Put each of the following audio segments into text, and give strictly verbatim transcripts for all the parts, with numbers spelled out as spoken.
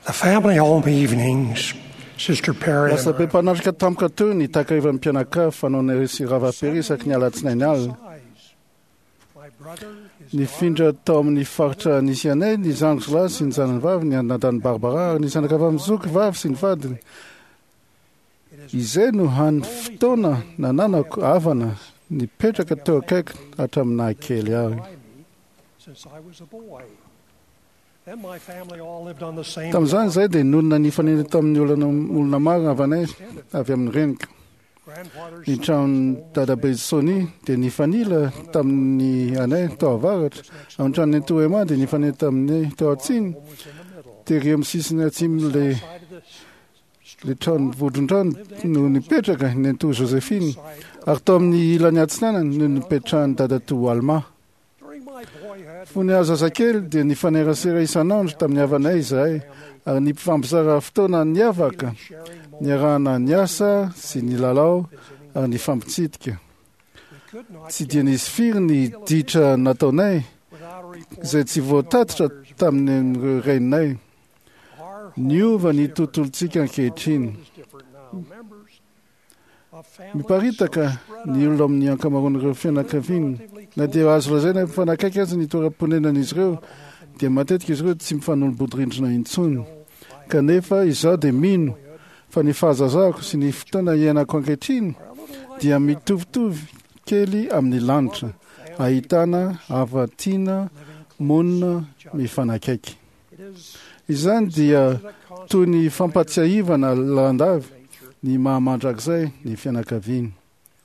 The family home evenings, Sister Perry Lasa and be her mpanatrika tampoka teo ny takarivan'ny mpianakavy fanaonay sy Rahavapery isaky ny alatsinainy alina. size. My brother, his Nifindra tao amin'ny faritra nisy anay ny zandriko lahy sy ny zanany vavy, ny anadany Barbara ary ny zanakavavy zoky vavy sy ny vadiny. Izay no hany fotoana nananako havana nipetraka teo akaiky hatramin'ny nahakely ahy. by me since I was a boy. Then my family all lived on the same Tamin'izany izahay dia nonina nifanena tamin'ny olona olona maro havanay avy amin'ny reniko. grandfather's Ny tranon'ny dadabe Sony dia nifanila tamin'ny anay tao avaratra, ary ny tranon'ny Toema dia nifanila tamin'ny tao atsimo. home was in the middle. Tery amin'ny sisiny atsimo le Side of the le trano vondron-trano no nipetraka ny Nentoa Josephine, side ary tao amin'ny ilany atsinanana no nipetrahan'ny dadatoa Alma. during my boyhood, Fony aho zazakely dia nifanerasera isan'andro tamin'ny havanay izahay, ary nifampizara fotoana niavaka, sharing more niarahana niasa sy nilalao ary nifampitsidika. we could not Tsy dia nisy firy ny ditra nataonay without a report izay tsy voatatitra tamin'ireo reninay. our Niova ny home is different. tontolontsika ankehitriny. Our world is different now. Members of families Miparitaka so spread ny out olona amin'ny ankamaroan'ireo fianakaviana. Na dia azo lazaina mifanakaiky aza ny toeram-ponenan'izy ireo, dia matetika izy ireo tsy mifanolo-bodirindrina intsony. Kanefa izaho dia mino fa ny fahazazako sy ny fotoana iainako ankehitriny dia mitovitovy kely amin'ny lanitra, ahitana hava-tiana monina mifanakaiky. It is Izany dia that toy ny fampatsiahivana lalandavy ny maha-mandrakizay ny fianakaviana.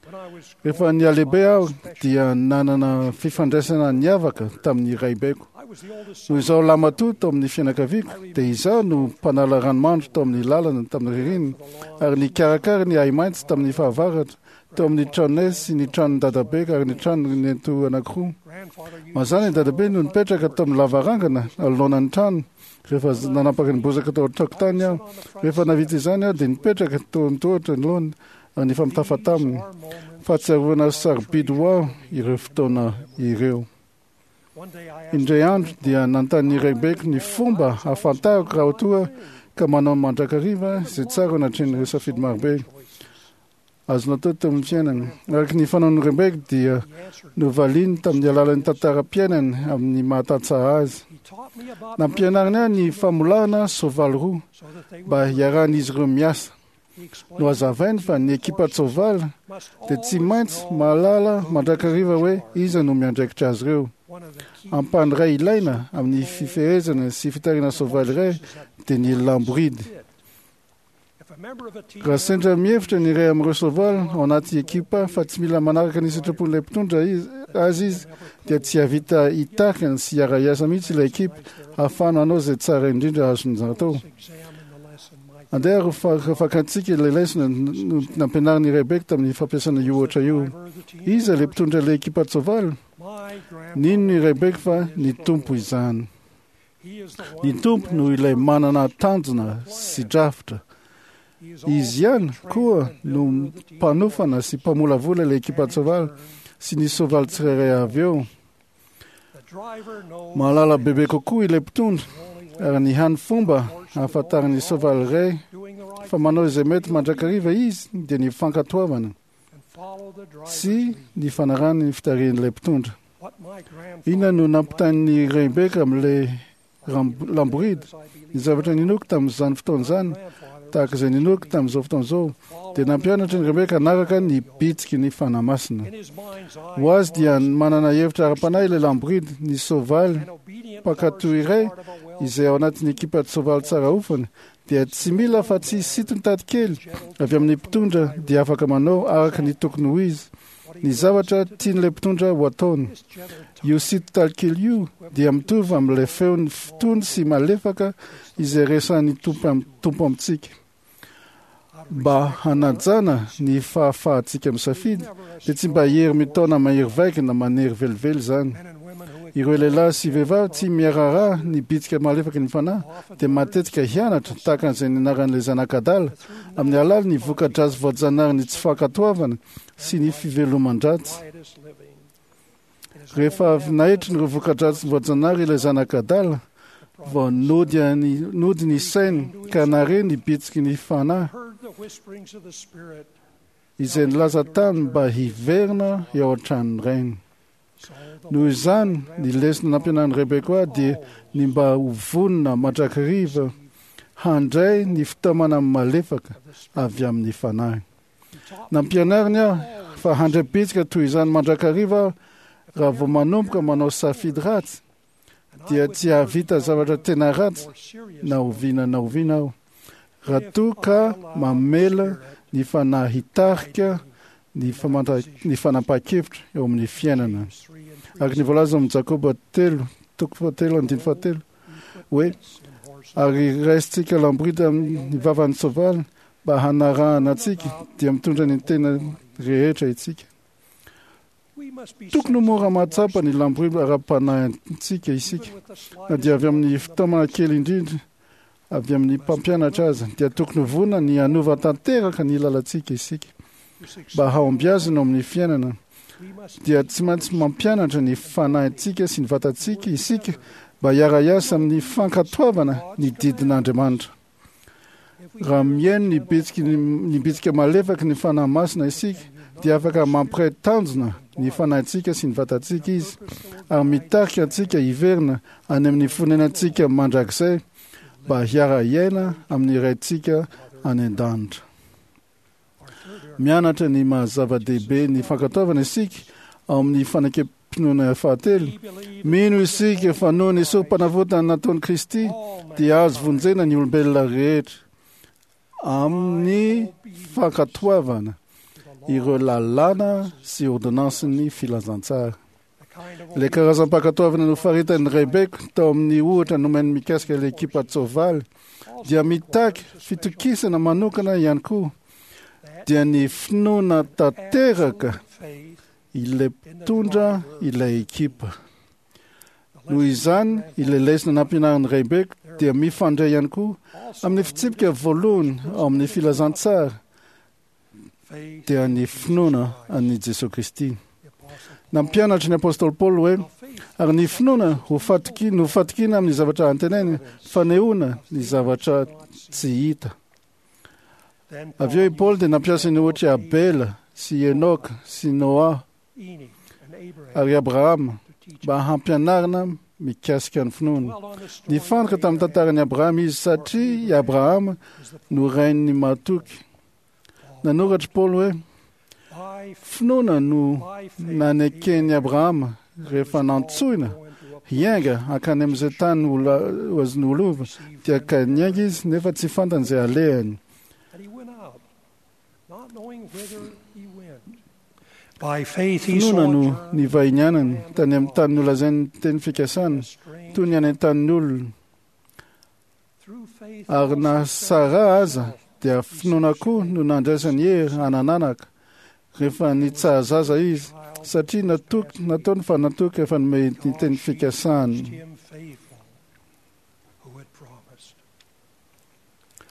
when I was Rehefa nialehibe aho dia nanana fifandraisana niavaka tamin'ny raibeko. I was the oldest Noho izaho lamatoa tao amin'ny fianakaviako dia izaho no mpanala ranomandry tao amin'ny lalana tamin'ny ririnina ary nikarakara ny ahi-maitso tamin'ny fahavaratra teo amin'ny tranonay sy ny tranon'ny dadabe ary ny tranony nentoa anankiroa. grandfather used Mazàna ny dadabe no nipetraka tao amin'ny lavarangana anoloanan'ny trano rehefa z- nanapaka ny bozaka tao an-tokotany aho. Rehefa navita izany aho dia nipetraka tao an-tohatra anoloany ary nifampitafa taminy. our moments. Fahatsiarovana sarobidy ho aho ireo fotoana ireo. One day I asked Indray andro dia nanontany ny raibeko ny fomba ahafantarako raha toa ka manao mandrakariva izay tsara anatrehan'ireo safidy marobe azo natao teo amin'ny fiainana. Araka ny fanaon'ny raibeko dia he answered novaliany tamin'ny alalan'ny tantaram-piainany amin'ny mahatantsaha azy. he taught me about Nampianariny ahy ny famolahana soavaly roa so that they mba would hiarahan'izy ireo miasa. he explained Nohazavainy fa ny ekipa-tsoavaly must dia tsy always maintsy know mahalala mandrakariva hoe iza no miandraikitra azy ireo. one of the key Ampahany iray ilaina amin'ny fifehezana sy fitarihana soavaly iray dia ny lamboridy. fit. If a member of a team Raha sendra mihevitra ny iray amin'ireo soavaly ao anaty ekipa fa tsy mila manaraka ny sitrapon'ilay mpitondra izy- azy izy dia tsy hahavita hitarika sy hiara-hiasa mihitsy ilay ekipa ahafahana hanao izay tsara indrindra azony atao. examine the lesson my Andeha ho fa- fakantsika ilay lesona no- nampianarin'ny raibeko tamin'ny fampiasana io ohatra io. driver of the team Iza ilay mpitondra ilay ekipa-tsoavaly? my grandfather Nino ny raibeko fa ny Tompo izany. he is the one Ny Tompo no ilay manana tanjona sy drafitra. he is Izy ihany koa no mpanofana sy mpamolavola ilay ekipa-tsoavaly sy ny soavaly tsirairay avy eo. the driver knows Mahalala bebe kokoa ilay mpitondra ary ny hany fomba ahafantaran'ny soavaly iray doing the right fa manao izay mety mandrakariva izy dia ny fankatoavana and follow the driver's sy lead. ny fanarahana ny fitarihan'ilay mpitondra. What my grandfather Inona no nampitain'ny raibeko amin'ilay ram- lamboridy? Ny zavatra ninoako tamin'izany fotoana izany, grandfather tahaka izay ninoako tamin'izao fotoana izao, dia nampianatra ny raibeko hanaraka ny bitsiky ny Fanahy Masina. in his mind's eye Ho azy dia manana hevitra ara-panahy ilay lamboridy, ny soavaly an obedient mpankatò horse is iray part of a well izay ao anatin'ny ekipa-tsoavaly tsara ofana dia tsy mila fa tsy sitony kely avy amin'ny mpitondra dia afaka manao araka ny tokony ho izy ny zavatra tian'ilay mpitondra ho ataony. this gentle touch Io sitony kely io dia mitovy amin'ilay feony tony sy malefaka izay resahin'ny Tompo am- Tompo amintsika. Mba hanajana ny fahafahantsika misafidy dia tsy mba hery mitaona mahery vaika na manery velively izany. men and women who Ireo lehilahy sy vehivavy tsy miaraharaha ny bitsika malefaky ny fanahy dia matetika hianatra tahaka an'izay nianaran'ilay zanak'adala amin'ny alalan'ny voka-dratsy voajanahary ny tsy fankatoavana sy ny fiveloman-dratsy. riotous living. It is Rehefa avy naetrin'ireo voka-dratsy voajanahary ilay zanak'adala vao nody any- nody ny sainy ka nare ny bitsiky ny fanahy heard the whisperings of the Spirit. izay nilaza taminy mba hiverina eo an-tranony rainy. So the Noho izany, ny lesona nampianarin'ny raibeko ahy dia ny mba ho vonona mandrakariva handray ny fitaomana malefaka avy amin'ny fanahy. He taught Nampianariny aho fa handray bitsika toy izany mandrakariva aho raha vao manomboka manao safidy ratsy and I dia would tsy hahavita zavatra tena ratsy more serious na oviana na oviana aho raha toa ka mamela ny fanahy hitarika ny famanta- ny fanapahan-kevitra eo amin'ny fiainana. James three and three Araka ny voalaza amin'ny Jakoba telo toko fahatelo andininy fahatelo hoe in horses. ary raisintsika lamborida amin'ny vavan'ny soavaly mba hanarahana antsika dia mitondra ny tena rehetra isika. We must be Tokony ho mora mahatsapa ny sensitive lamborida ara-panahintsika isika even with the na slightest dia avy amin'ny fitaomana kely indrindra avy amin'ny mpampianatra aza dia tokony ho vonona ny hanova tanteraka ny lalantsika isika to succeed. mba hahombiazana ao amin'ny fiainana. We must Dia tsy maintsy mampianatra ny fanahintsika sy ny vatantsika isika mba hiara-hiasa amin'ny fankatoavana ny didin'Andriamanitra. if we Raha mihaino ny bitsiky ny bitsika malefaky ny fanahy masina isika dia afaka mampiray tanjona ny fanahintsika sy ny vatantsika izy ary mitarika antsika hiverina any amin'ny fonenantsika mandrakizay mba hiara-hiaina amin'ny raintsika any an-danitra. our third area Mianatra ny maha-zava-dehibe ny fankatoavana isika ao amin'ny fanekem-pinoana fahatelo. we believe Mino isika fa noho ny sorom-panavotana nataon'i Kristy all dia azo vonjena ny olombelona rehetra amin'ny fankatoavana ireo lalàna sy ordonansin'ny filazantsara. the kind of Ilay karazam-pankatoavana nofaritan'ny raibeko tao amin'ny ohatra nomeny mikasika ilay ekipa tsoavaly dia mitaky fitokisana manokana ihany koa that dia ny finoana tanteraka absolute faith ilay mpitondra ilay ekipa. The Noho lesson izany, ilay lesona nampianarin'ny raibeko dia mifandray ihany koa also amin'ny fitsipika voalohany ao amin'ny filazantsara faith dia ny finoana an'i Jesosy Kristy. the apostle Nampianatra ny apôstôly Paoly hoe Paul faith ary ny finoana ho fatoki no fatokiana amin'ny zavatra antenaina, fanehoana ny zavatra tsy hita. then Avy eo i Paoly dia nampiasa ny ohatry Abela sy Enoka sy Noa Enoch and Abraham ary Abrahama to teach mba hampianarina mikasika ny finoana. dwell on the story Nifantoka of tamin'ny Abraham tantaran'i Abrahama izy satria i Abrahama is the no rain'ny mahatoky. Nanoratra Paoly hoe by finoana no by faith naneken'i Abrahama rehefa nantsoina hiainga hankany amin'izay tany ho la- ho azony ho lova dia ka niainga izy nefa tsy fantany izay alehany. And he went out, not knowing whither he went. By faith he Finoana no sojourned nivahinianany tany amin'ny tany nolazain'ny teny fikasana a strange toy ny any an-tanin'ny olona Through faith ary na also Sara aza dia finoana koa no nandraisany hery hanananaka rehefa nitsahazaza izy child satria natoky nataony fa natoky efa nome ny teny fikasany. judged him faithful who had promised.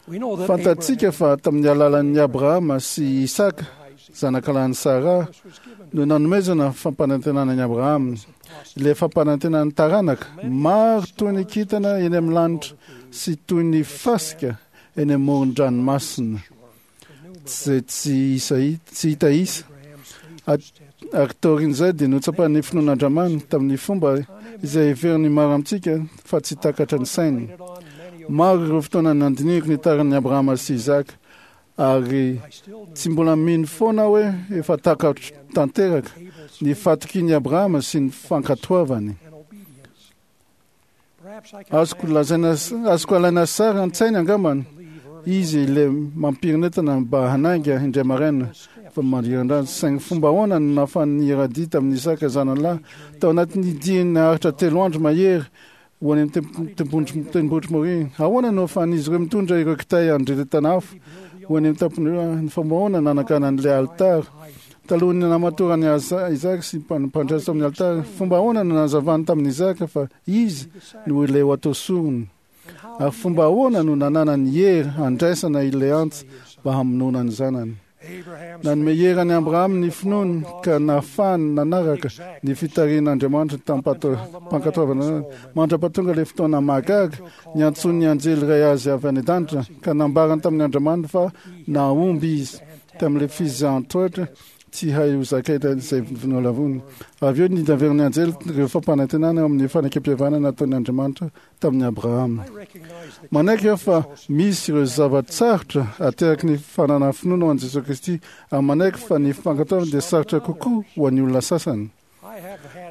We know that Fantatsika Abraham fa tamin'ny alalan'ny Abrahama sy Isaka Isaac zanakalahin'i Sara promise was given no nanomezana fampanantenana an'i Abrahama to the ilay fampanantenan'ny taranaka maro toy ny kintana eny amin'ny lanitra sy toy ny fasika eny amin'ny moron-dranomasina izay tsy isa tsy hita isa. Abraham's faith At- was tested. Ary taorian'izay dia notsapan'ny finoan'Andriamanitra tamin'ny fomba izay heverin'ny maro amintsika fa tsy takatra ny sainy. Contemplated on many Maro ireo fotoana nandinihiko ny taran'i Abrahama sy Isaka ary I still tsy mbola mino foana hoe efa takatro tanteraka Abel's ny fatokian'i Abrahama sy ny fankatoavany. and obedience. Perhaps I can Azoko lazaina azoko alaina sary an-tsaina angambany believe early izy ilay mampirinetana mba hanainga indray maraina fa mandriran-drano saingy fomba ahoana no nahafahan'ny iradia tamin'ny Isaka zanany lahy tao anatin'ny diany naharitra telo andro mahery ho any amin'ny tendrombohitra tendrombohitra Moria. Ahoana no ahafahan'izy ireo mitondra ireo kitay andreretana afo ho any amin'ny tampony ny fomba ahoana nanakanan'ilay alitara talohan'ny namatorany Aza- Isaka sy mpan- mpandraisa tamin'ny alitara. Fomba ahoana no nanazavany tamin'i Isaka fa izy no ilay ho atao sorona ary fomba ahoana no nananany hery handraisana ilay antsy mba hamonoana ny zanany. Nanome hery an'i Abrahama ny finoany ka nahafahany nanaraka ny fitarihan'Andriamanitra tamim-pankatoavana mandra-pahatonga ilay fotoana mahagaga niantsoan'ny anjely iray azy avy any an-danitra ka nambarany tamin'ny Andriamanitra fa nahomby izy tamin'ilay fizahan-toetra tsy hay ho zakaina izay nolavony. Avy eo nitaverin'ny anjely ireo fampanantenana eo amin'ny fanekempihavanana nataon'ny Andriamanitra tamin'i Abrahama. Manaiky aho fa misy ireo zava-tsarotra ateraky ny fananana finoana ho an'i Jesosy Kristy ary manaiky fa ny fankatoavana dia sarotra kokoa ho an'ny olona sasany.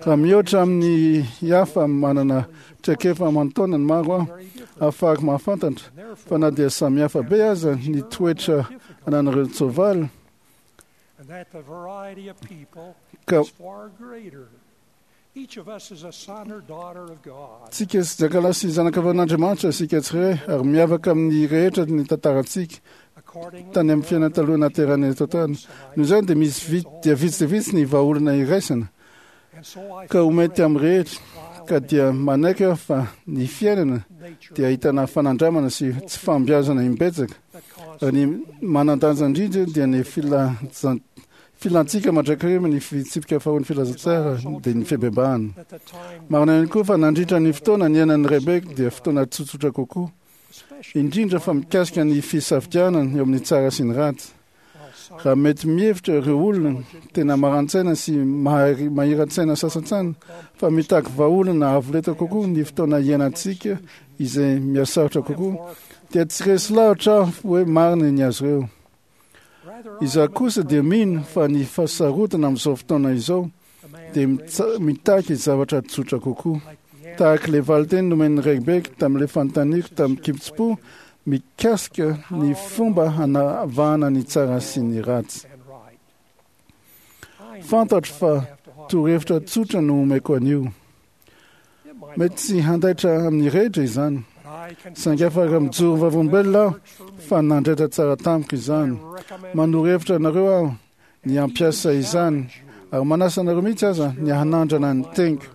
Raha mihoatra amin'ny hafa manana traikefa aman-taonany maro aho, ahafahako mahafantatra fa na dia samihafa be aza ny toetra ananan'ireo tsoavaly, and that the variety of people ka is far greater. Each of us is a son or daughter of God. tsika sy jakalahy sy zanakavan'Andriamanitra isika tsirairay ary miavaka amin'ny rehetra ny tantarantsika Accordingly, tany amin'ny fiainana taloha naterana eto an-tany. Noho izany dia misy vitsy dia vitsy dia vitsy ny vahaolana iraisana and so I ka ho mety amin'ny rehetra trial ka dia manaiky aho fa ny fiainana nature dia ahitana fanandramana sy tsy fahombiazana imbetsaka that ary ny manan-danja indrindra dia ny filanjan- filantsika mandrakariva ny fitsipika faharoan'ny filazantsara dia ny fibebahana. at the time Marina ihany koa fa nandritra ny fotoana niainan'ny Rebeka dia fotoana tsotsotra kokoa, especially indrindra fa mikasika ny fisafidianana eo amin'ny tsara sy ny ratsy. while some Raha mety mihevitra ireo olona tena maran-tsaina sy mahari- mahiran-tsaina sasantsany fa mitaky vahaolana avo lenta kokoa ny fotoana iainantsika izay mihasarotra kokoa, dia tsy resy lahatra aho hoe marina ny azy ireo. rather I Izaho am kosa dia mino fa ny fahasarotana amin'izao fotoana izao the man dia mitsa- mitaky zavatra tsotra kokoa. like the Tahaka ilay valinteny nomen'ny Rebeka tamin'ilay fanontaniako tamin'ny kitsim-po mikasika ny fomba hanavahana ny tsara sy ny ratsy. and right. I know Fantatro what fa I have to offer. torohevitra tsotra no omeko an'io. It might Mety tsy handaitra amin'ny rehetra izany, but I can saingy afaka mijoro vavolombelona aho works for me. fa nandraitra tsara tamiko izany. I recommend Manoro hevitra anareo aho ny hampiasa izany ary manasa anareo mihitsy aza ny hanandrana ny teniko.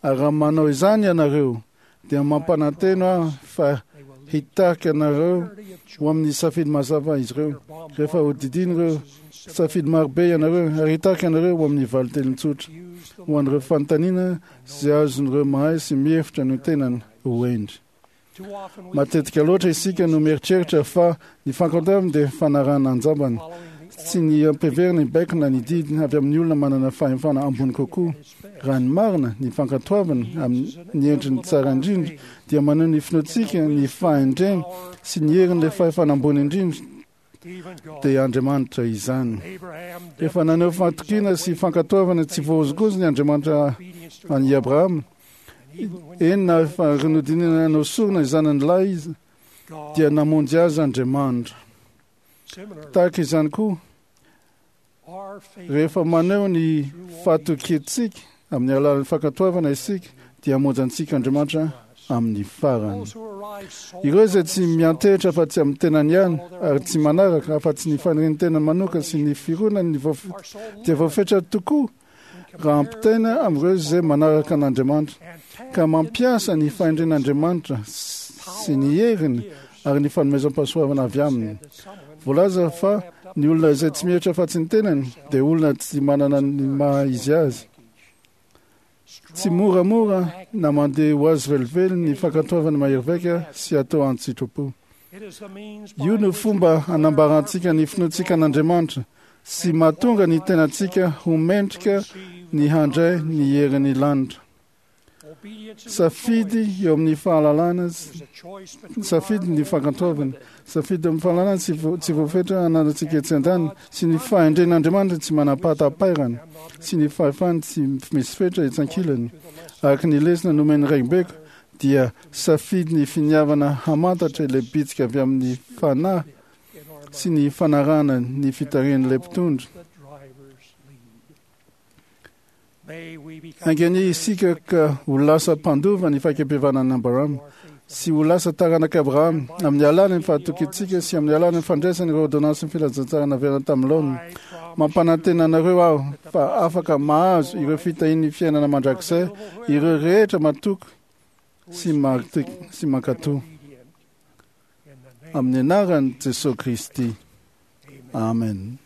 Ary raha manao izany ianareo dia mampanantena aho fa they will lead hitarika anareo clarity of ho choice. amin'ny safidy mazava izy ireo. Their bombardment Rehefa hodidina ireo and civil safidy marobe ianareo ary hitarika anareo ho amin'ny valin-teny tsotra use the ho an'ireo fanontaniana izay azon'ireo mahay sy mihevitra ny tenany ho hendry. Too often we Matetika loatra isika no mieritreritra fa ny fankatoavana dia fanarahana anjambany, following the tsy ny ampiverina ny baiko na ny didy avy amin'ny olona manana fahefana ambony kokoa. at its best. Raha ny marina, ny fankatoavana amin'ny endriny tsara indrindra dia maneho ny finoantsika, ny fahendrena sy ny herin'ilay fahefana ambony indrindra Even God, dia Andriamanitra izany. Abraham Efa naneho fahatokiana sy fankatoavana tsy voahozongozona ny Andriamanitra obedience to an'i Abrahama. and even when Eny na efa nodinina nanao sorona izany ny lahy izy God dia namonjy azy Andriamanitra. similarly Tahaka izany koa, our faith rehefa maneho ny fahatokiantsika amin'ny alalan'ny fankatoavana isika dia hamonjy antsika Andriamanitra amin'ny farany. those who arrive so Ireo izay tsy miantehitra fa tsy amin'ny tenany ihany ary tsy manaraka afa-tsy ny fanirian'ny tenany manokana sy ny fironany voaf- are so dia voafetra tokoa raha ampitaina amin'ireo izay manaraka an'Andriamanitra and tap ka mampiasa ny fahendren'Andriamanitra sy ny heriny ary ny fanomezam-pahasoavana avy aminy. said that someone Voalaza fa ny olona izay tsy mihevitra afa-tsy ny tenany dia olona tsy manana ny maha izy azy. Tsy moramora na mandeha ho azy velively ny fankatoavana mahery vaika sy atao an-tsitrapo. it is the means by Io no which fomba we hanambarantsika ny finoantsika an'Andriamanitra sy mahatonga ny tenantsika ho mendrika receive ny handray ny herin'ny lanitra. obedience is a Safidy choice. eo amin'ny fahalalana It is a choice between safidy ny our fankatoavana, limited safidy amin'ny fahalalana tsy vo- tsy voafetra ananantsika etsy an-tany sy ny fahendren'Andriamanitra tsy manam-pahatapairana sy ny fahefany tsy misy fetra etsy ankilany. to the lesson Araka ny lesona nomen'ny Rebeka dia safidy ny finiavana hamantatra ilay bitsika avy amin'ny fanahy in our sy ny fanarahana ny fitarihan'ilay mpitondra. the driver's lead. May we become Anganie isika ka ho lasa mpandova ny fahakem-pihavanan'i Abrahama our faith sy ho lasa taranak'i Abrahama amin'ny alalan'ny fahatokiantsika sy amin'ny alalan'ny fandraisana ireo ordonnansin'ny filazantsara naverina tamin'ny laoniny. I promise Mampanantena anareo aho fa afaka mahazo ireo fitahian'ny fiainana mandrakizay ireo rehetra matoky sy mahatoky sy mankatò obedient in the name amin'ny anaran'i Jesosy Kristy. Amen. Amen.